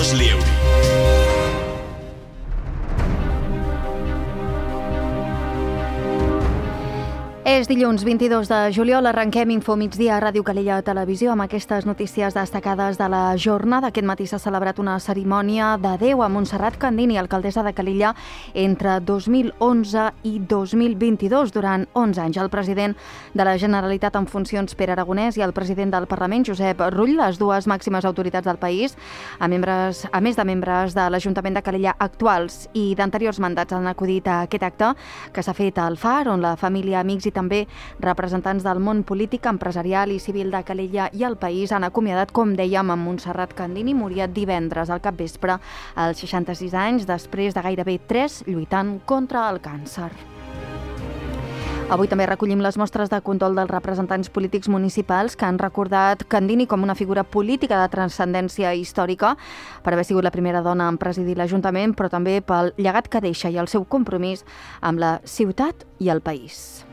Carles Lieuri. És dilluns 22 de juliol, arrenquem Info Migdia a Ràdio Calella Televisió amb aquestes notícies destacades de la jornada. Aquest matí s'ha celebrat una cerimònia d'adeu a Montserrat Candini, alcaldessa de Calella, entre 2011 i 2022, durant 11 anys. El president de la Generalitat en funcions, Pere Aragonès, i el president del Parlament, Josep Rull, les dues màximes autoritats del país, a més de membres de l'Ajuntament de Calella actuals i d'anteriors mandats, han acudit a aquest acte que s'ha fet al Far, on la família, amics i també representants del món polític, empresarial i civil de Calella i el país han acomiadat, com dèiem, amb Montserrat Candini. Moria divendres al capvespre als 66 anys, després de gairebé 3 lluitant contra el càncer. Avui també recollim les mostres de condol dels representants polítics municipals que han recordat Candini com una figura política de transcendència històrica per haver sigut la primera dona en presidir l'Ajuntament, però també pel llegat que deixa i el seu compromís amb la ciutat i el país.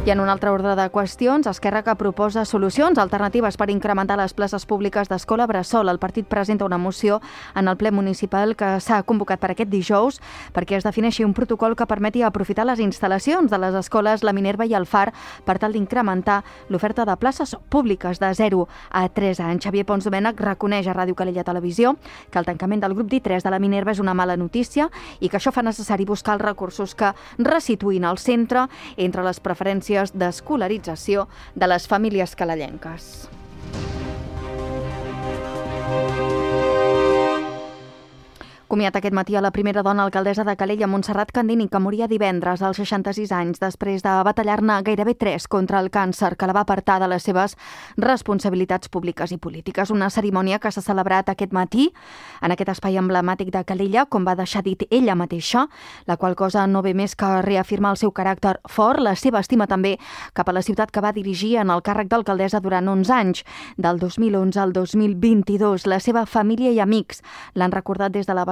I en un altre ordre de qüestions, Esquerra, que proposa solucions alternatives per incrementar les places públiques d'escola bressol. El partit presenta una moció en el ple municipal que s'ha convocat per aquest dijous perquè es defineixi un protocol que permeti aprofitar les instal·lacions de les escoles La Minerva i el Far per tal d'incrementar l'oferta de places públiques de 0 a 3 anys. Xavier Pons Domènech reconeix a Ràdio Calella Televisió que el tancament del grup d'I3 de La Minerva és una mala notícia i que això fa necessari buscar els recursos que resituïn el centre entre les preferències d'escolarització de les famílies calellenques. Comiat aquest matí a la primera dona alcaldessa de Calella, Montserrat Candini, que moria divendres als 66 anys després de batallar-ne gairebé 3 contra el càncer que la va apartar de les seves responsabilitats públiques i polítiques. Una cerimònia que s'ha celebrat aquest matí en aquest espai emblemàtic de Calella, com va deixar dit ella mateixa, la qual cosa no ve més que reafirmar el seu caràcter fort, la seva estima també cap a la ciutat que va dirigir en el càrrec d'alcaldessa durant 11 anys, del 2011 al 2022. La seva família i amics l'han recordat des de la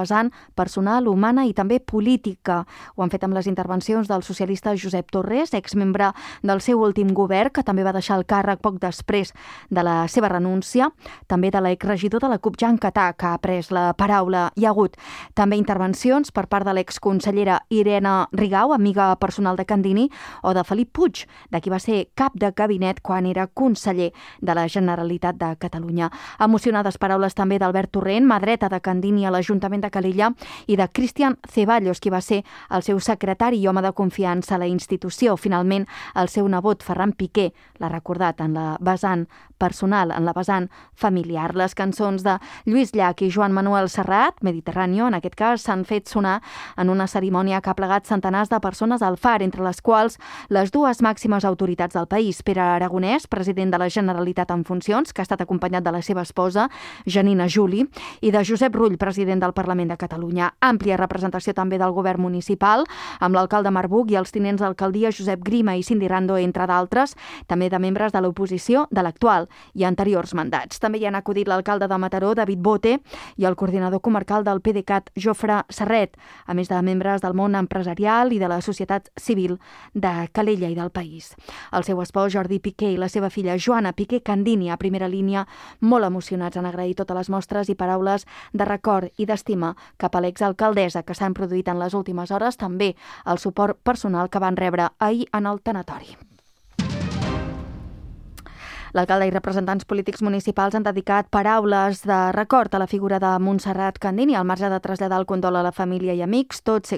personal, humana i també política. Ho han fet amb les intervencions del socialista Josep Torres, exmembre del seu últim govern, que també va deixar el càrrec poc després de la seva renúncia, també de l'exregidor de la CUP, Jan Catà, que ha pres la paraula. Hi ha hagut també intervencions per part de l'exconsellera Irene Rigau, amiga personal de Candini, o de Felip Puig, de qui va ser cap de gabinet quan era conseller de la Generalitat de Catalunya. Emocionades paraules també d'Albert Torrent, mà dreta de Candini a l'Ajuntament de Calella, i de Cristian Ceballos, qui va ser el seu secretari i home de confiança a la institució. Finalment, el seu nebot, Ferran Piqué, l'ha recordat en la vessant personal, en la vessant familiar. Les cançons de Lluís Llach i Joan Manuel Serrat, Mediterráneo, en aquest cas, s'han fet sonar en una cerimònia que ha plegat centenars de persones al Far, entre les quals les dues màximes autoritats del país, Pere Aragonès, president de la Generalitat en funcions, que ha estat acompanyat de la seva esposa, Janina Juli, i de Josep Rull, president del Parlament de Catalunya. Àmplia representació també del govern municipal, amb l'alcalde Marbuc i els tinents d'alcaldia Josep Grima i Cindy Rando, entre d'altres, també de membres de l'oposició de l'actual i anteriors mandats. També hi han acudit l'alcalde de Mataró, David Bote, i el coordinador comarcal del PDeCAT, Jofre Serret, a més de membres del món empresarial i de la societat civil de Calella i del país. El seu espòs, Jordi Piqué, i la seva filla, Joana Piqué Candini, a primera línia, molt emocionats, han agraït totes les mostres i paraules de record i d'estima cap a l'exalcaldessa que s'han produït en les últimes hores, també el suport personal que van rebre ahir en el tanatori. L'alcalde i representants polítics municipals han dedicat paraules de record a la figura de Montserrat Candini, al marge de traslladar el condol a la família i amics, tots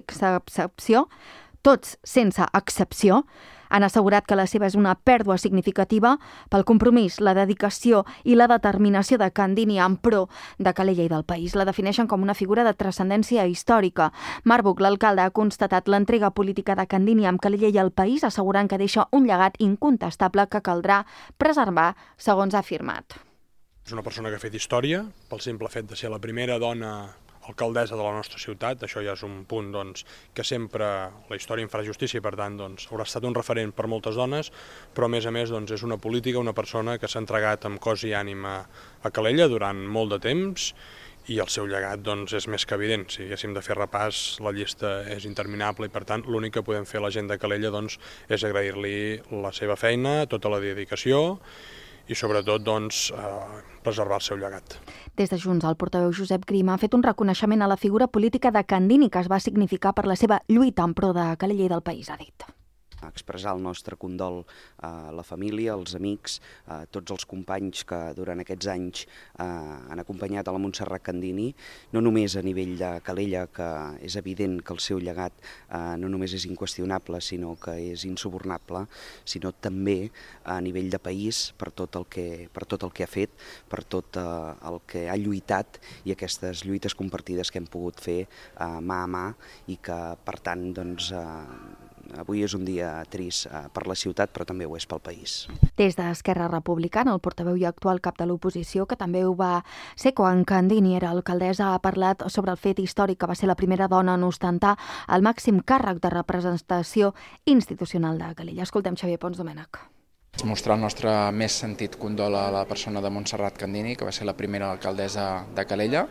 sense excepció, han assegurat que la seva és una pèrdua significativa pel compromís, la dedicació i la determinació de Candini en pro de Calella i del país. La defineixen com una figura de transcendència històrica. Marbuc, l'alcalde, ha constatat l'entrega política de Candini amb Calella i el país, assegurant que deixa un llegat incontestable que caldrà preservar, segons ha afirmat. És una persona que ha fet història, pel simple fet de ser la primera dona alcaldessa de la nostra ciutat. Això ja és un punt que sempre la història en farà justícia i per tant haurà estat un referent per moltes dones, però a més és una política, una persona que s'ha entregat amb cos i ànima a Calella durant molt de temps i el seu llegat és més que evident. Si haguéssim de fer repàs, la llista és interminable i per tant l'únic que podem fer a la gent de Calella és agrair-li la seva feina, tota la dedicació i sobretot doncs, preservar el seu llegat. Des de Junts, el portaveu Josep Grima ha fet un reconeixement a la figura política de Candini que es va significar per la seva lluita en pro de Calella i del país, ha dit. Expressar el nostre condol a la família, als amics, a tots els companys que durant aquests anys han acompanyat a la Montserrat Candini, no només a nivell de Calella, que és evident que el seu llegat no només és inqüestionable, sinó que és insubornable, sinó també a nivell de país per tot el que ha fet, per tot el que ha lluitat i aquestes lluites compartides que hem pogut fer mà a mà i que, per tant, doncs, avui és un dia trist per la ciutat, però també ho és pel país. Des d'Esquerra Republicana, el portaveu i actual cap de l'oposició, que també ho va ser quan Candini era alcaldessa, ha parlat sobre el fet històric que va ser la primera dona en ostentar el màxim càrrec de representació institucional de Calella. Escoltem Xavier Pons Domènech. Mostrar el nostre més sentit condol a la persona de Montserrat Candini, que va ser la primera alcaldessa de Calella.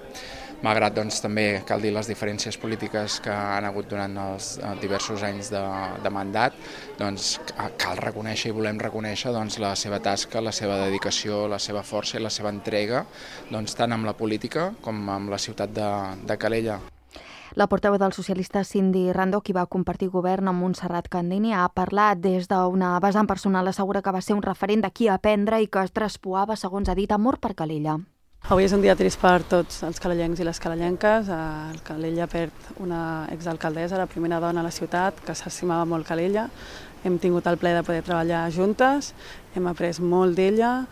Malgrat doncs, també cal dir les diferències polítiques que han hagut durant els diversos anys de mandat, doncs, cal reconèixer i volem reconèixer doncs, la seva tasca, la seva dedicació, la seva força i la seva entrega, doncs, tant amb la política com amb la ciutat de Calella. La portaveu dels socialistes, Cindy Rando, qui va compartir govern amb Montserrat Candini, ha parlat des d'una vessant personal, assegura que va ser un referent de qui aprendre i que es traspuava, segons ha dit, amor per Calella. Avui és un dia trist per tots els calellencs i les calellenques. El Calella perd una exalcaldessa, la primera dona a la ciutat, que s'estimava molt Calella. Hem tingut el plaer de poder treballar juntes, hem après molt d'ella.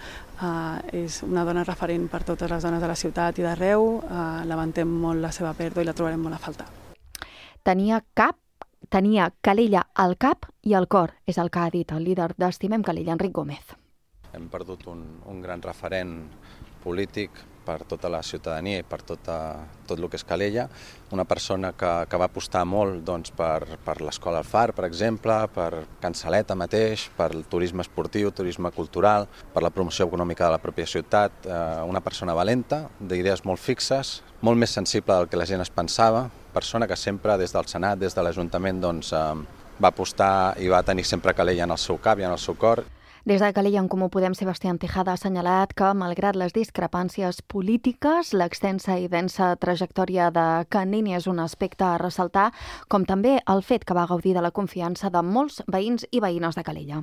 És una dona referent per totes les dones de la ciutat i d'arreu. Lamentem molt la seva pèrdua i la trobarem molt a faltar. Tenia Calella al cap i al cor, és el que ha dit el líder d'Estimem Calella, Enric Gómez. Hem perdut un gran referent polític per tota la ciutadania i per tot el que és Calella, una persona que va apostar molt doncs, per l'Escola al Far, per exemple, per Can Saleta mateix, per el turisme esportiu, turisme cultural, per la promoció econòmica de la pròpia ciutat, una persona valenta, d'idees molt fixes, molt més sensible del que la gent es pensava, persona que sempre des del Senat, des de l'Ajuntament, doncs, va apostar i va tenir sempre Calella en el seu cap i en el seu cor. Des de Calella en Comú Podem, Sebastián Tejada ha assenyalat que, malgrat les discrepàncies polítiques, l'extensa i densa trajectòria de Candini és un aspecte a ressaltar, com també el fet que va gaudir de la confiança de molts veïns i veïnes de Calella.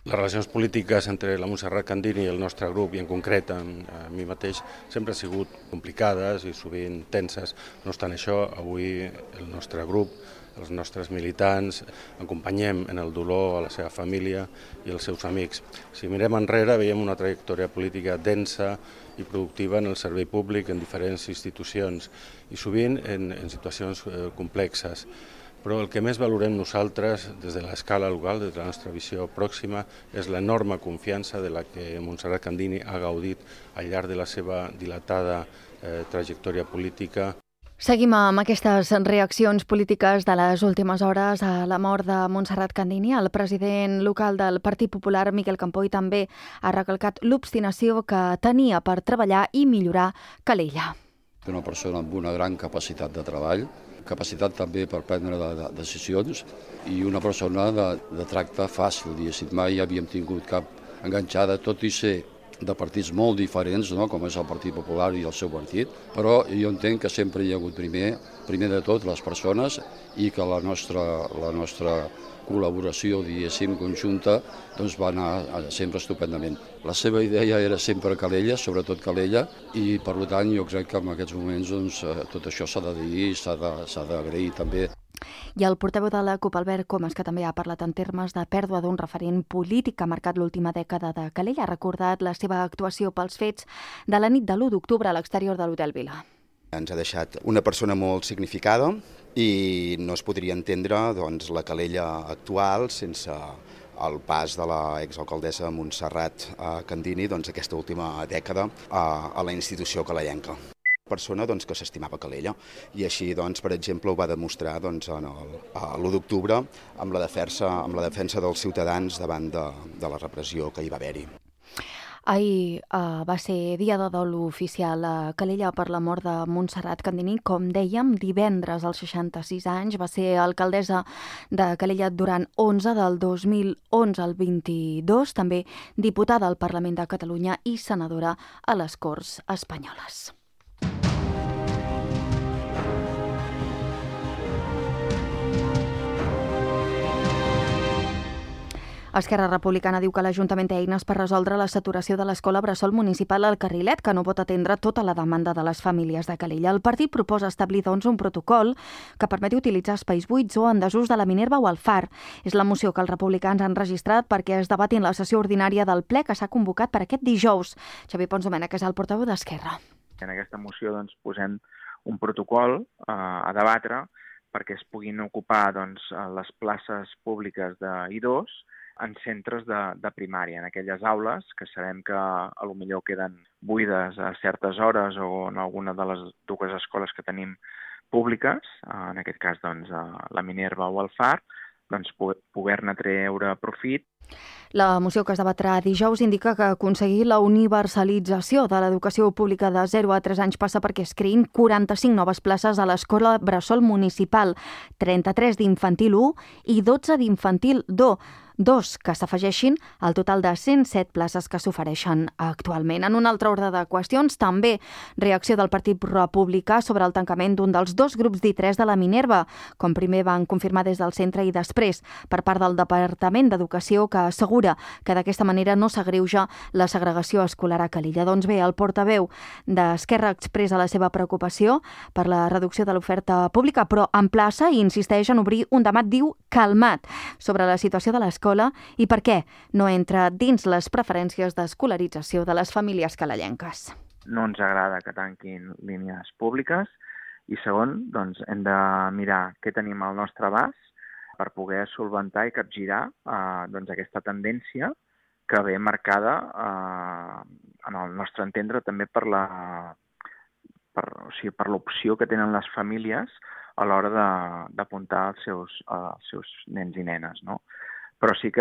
Les relacions polítiques entre la Montserrat Candini i el nostre grup, i en concret a mi mateix, sempre han sigut complicades i sovint tenses. No obstant això, avui el nostre grup, els nostres militants, acompanyem en el dolor a la seva família i als seus amics. Si mirem enrere, veiem una trajectòria política densa i productiva en el servei públic, en diferents institucions i sovint en situacions complexes. Però el que més valorem nosaltres des de l'escala local, des de la nostra visió pròxima, és l'enorme confiança de la que Montserrat Candini ha gaudit al llarg de la seva dilatada trajectòria política. Seguim amb aquestes reaccions polítiques de les últimes hores a la mort de Montserrat Candini. El president local del Partit Popular, Miquel Campoy, també ha recalcat l'obstinació que tenia per treballar i millorar Calella. Una persona amb una gran capacitat de treball, capacitat també per prendre decisions i una persona de tracte fàcil, diguéssim. Mai havíem tingut cap enganxada, tot i ser de partits molt diferents, no? Com és el Partit Popular i el seu partit, però jo entenc que sempre hi ha hagut primer de tot les persones i que la nostra col·laboració, diguéssim, conjunta, doncs va anar sempre estupendament. La seva idea era sempre Calella, sobretot Calella, i per tant jo crec que en aquests moments doncs, tot això s'ha de dir i s'ha d'agrair també. I el portaveu de la CUP, Albert Comas, que també ha parlat en termes de pèrdua d'un referent polític que ha marcat l'última dècada de Calella, ha recordat la seva actuació pels fets de la nit de l'1 d'octubre a l'exterior de l'Hotel Vila. Ens ha deixat una persona molt significada i no es podria entendre doncs, la Calella actual sense el pas de l'exalcaldessa Montserrat Candini doncs, aquesta última dècada a la institució calellenca. Persona doncs, que s'estimava Calella i així, doncs, per exemple, ho va demostrar doncs, l'1 d'octubre amb la defensa dels ciutadans davant de la repressió que hi va haver-hi. Ahir va ser dia de dol oficial a Calella per la mort de Montserrat Candini. Com dèiem, divendres, als 66 anys, va ser alcaldessa de Calella durant 11, del 2011 al 22, també diputada al Parlament de Catalunya i senadora a les Corts Espanyoles. Esquerra Republicana diu que l'Ajuntament té eines per resoldre la saturació de l'escola bressol municipal al Carrilet, que no pot atendre tota la demanda de les famílies de Calella. El partit proposa establir, doncs, un protocol que permeti utilitzar espais buits o en desús de la Minerva o el Far. És la moció que els republicans han registrat perquè es debati en la sessió ordinària del ple que s'ha convocat per aquest dijous. Xavier Pons Domènech és el portaveu d'Esquerra. En aquesta moció doncs, posem un protocol a debatre perquè es puguin ocupar doncs, les places públiques d'I2 en centres de primària, en aquelles aules que sabem que potser queden buides a certes hores o en alguna de les dues escoles que tenim públiques, en aquest cas doncs, la Minerva o el Far, doncs, poder-ne treure profit. La moció que es debatrà dijous indica que aconseguir la universalització de l'educació pública de 0 a 3 anys passa perquè es creïn 45 noves places a l'escola bressol municipal, 33 d'infantil 1 i 12 d'infantil 2 que s'afegeixin al total de 107 places que s'ofereixen actualment. En un altre ordre de qüestions, també reacció del Partit Republicà sobre el tancament d'un dels 2 grups d'I3 de la Minerva, com primer van confirmar des del centre i després per part del Departament d'Educació, que assegura que d'aquesta manera no s'agreuja la segregació escolar a Calella. Doncs bé, el portaveu d'Esquerra expressa la seva preocupació per la reducció de l'oferta pública, però emplaça i insisteix en obrir un debat, diu, calmat sobre la situació de l'escola i per què no entra dins les preferències d'escolarització de les famílies calellenques. No ens agrada que tanquin línies públiques i segon, doncs, hem de mirar què tenim al nostre abast per poder solventar i capgirar doncs, aquesta tendència que ve marcada, en el nostre entendre, també per l'opció que tenen les famílies a l'hora d'apuntar els seus nens i nenes, no? Però sí que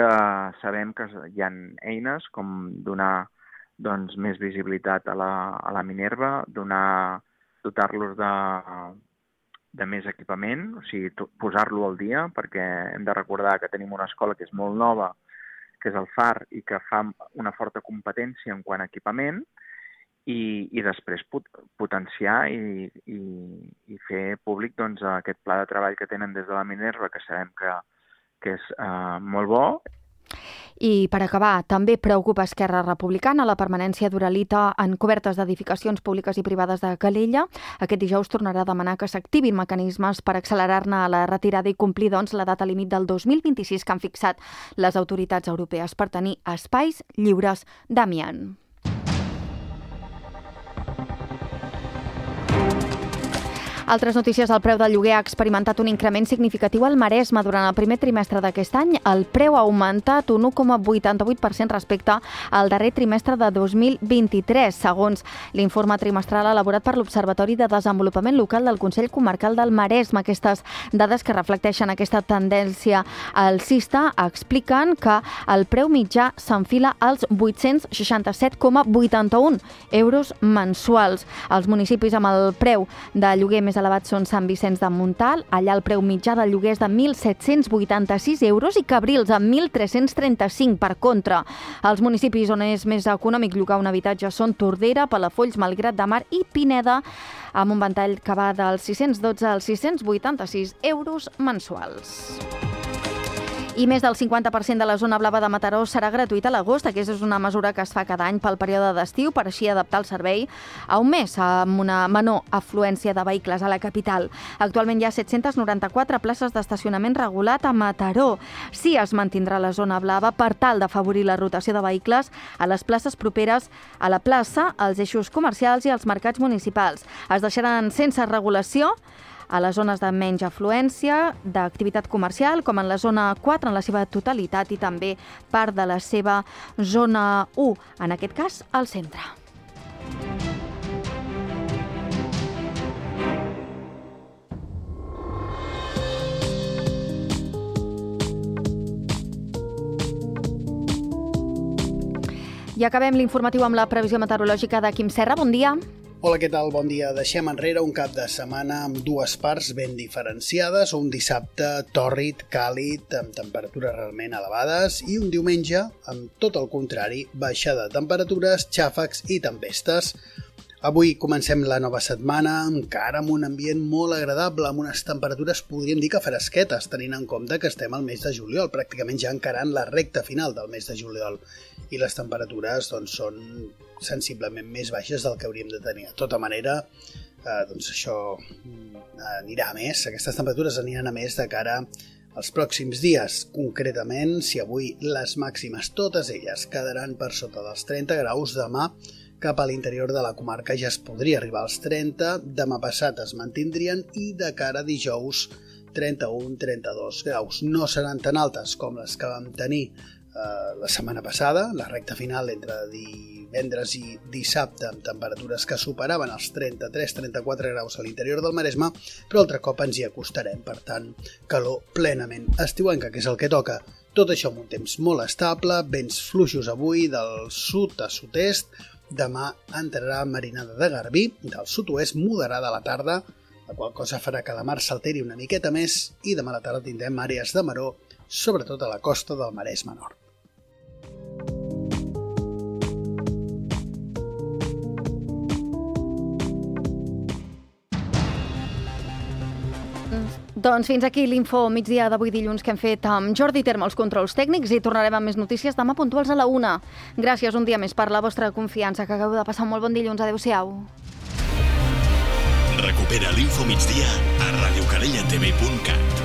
sabem que hi ha eines com donar doncs, més visibilitat a la Minerva, dotar-los de més equipament, o sigui, posar-lo al dia, perquè hem de recordar que tenim una escola que és molt nova, que és el Far, i que fa una forta competència en quant a equipament, i després potenciar i fer públic doncs, aquest pla de treball que tenen des de la Minerva, que sabem que és molt bo. I per acabar, també preocupa Esquerra Republicana la permanència d'uralita en cobertes d'edificacions públiques i privades de Calella. Aquest dijous tornarà a demanar que s'activin mecanismes per accelerar-ne la retirada i complir doncs, la data límit del 2026 que han fixat les autoritats europees per tenir espais lliures d'amiant. Altres notícies, el preu del lloguer ha experimentat un increment significatiu al Maresme durant el primer trimestre d'aquest any. El preu ha augmentat un 1,88% respecte al darrer trimestre de 2023, segons l'informe trimestral elaborat per l'Observatori de Desenvolupament Local del Consell Comarcal del Maresme. Aquestes dades que reflecteixen aquesta tendència alcista expliquen que el preu mitjà s'enfila als 867,81 euros mensuals. Els municipis amb el preu de lloguer més elevat són Sant Vicenç de Montalt, allà el preu mitjà del lloguer és de 1.786 euros i Cabrils amb 1.335. Per contra, els municipis on és més econòmic llogar un habitatge són Tordera, Palafolls, Malgrat de Mar i Pineda, amb un ventall que va dels 612 als 686 euros mensuals. I més del 50% de la zona blava de Mataró serà gratuïta a l'agost. Aquesta és una mesura que es fa cada any pel període d'estiu per així adaptar el servei a un mes amb una menor afluència de vehicles a la capital. Actualment hi ha 794 places d'estacionament regulat a Mataró. Sí, es mantindrà la zona blava per tal d'afavorir la rotació de vehicles a les places properes a la plaça, als eixos comercials i als mercats municipals. Es deixaran sense regulació a les zones de menys afluència, d'activitat comercial, com en la zona 4 en la seva totalitat i també part de la seva zona 1, en aquest cas al centre. I acabem l'informatiu amb la previsió meteorològica de Quim Serra. Bon dia. Hola, què tal? Bon dia. Deixem enrere un cap de setmana amb dues parts ben diferenciades, un dissabte tòrrid, càlid, amb temperatures realment elevades, i un diumenge amb tot el contrari, baixada de temperatures, xàfecs i tempestes. Avui comencem la nova setmana encara amb un ambient molt agradable, amb unes temperatures, podríem dir que fresquetes, tenint en compte que estem al mes de juliol, pràcticament ja encarant la recta final del mes de juliol, i les temperatures són sensiblement més baixes del que hauríem de tenir. De tota manera, això anirà a més, aquestes temperatures aniran a més de cara als pròxims dies. Concretament, si avui les màximes, totes elles, quedaran per sota dels 30 graus, demà cap a l'interior de la comarca ja es podria arribar als 30, demà passat es mantindrien i de cara a dijous 31-32 graus. No seran tan altes com les que vam tenir la setmana passada, la recta final entre divendres i dissabte amb temperatures que superaven els 33-34 graus a l'interior del Maresme, però altre cop ens hi acostarem, per tant, calor plenament estiuenca, que és el que toca. Tot això amb un temps molt estable, vents fluixos avui del sud a sud-est. Demà entrarà marinada de garbí, del sud-oest moderada a la tarda, la qual cosa farà que la mar s'alteri una miqueta més i demà a la tarda tindrem àrees de maror, sobretot a la costa del Maresme Nord. Doncs fins aquí l'info migdia d'avui dilluns que hem fet amb Jordi Terme, els controls tècnics, i tornarem amb més notícies demà puntuals a la 1. Gràcies un dia més per la vostra confiança, que acabeu de passar un molt bon dilluns. Adéu-siau. Recupera l'Info Migdia a radiocadellatv.cat.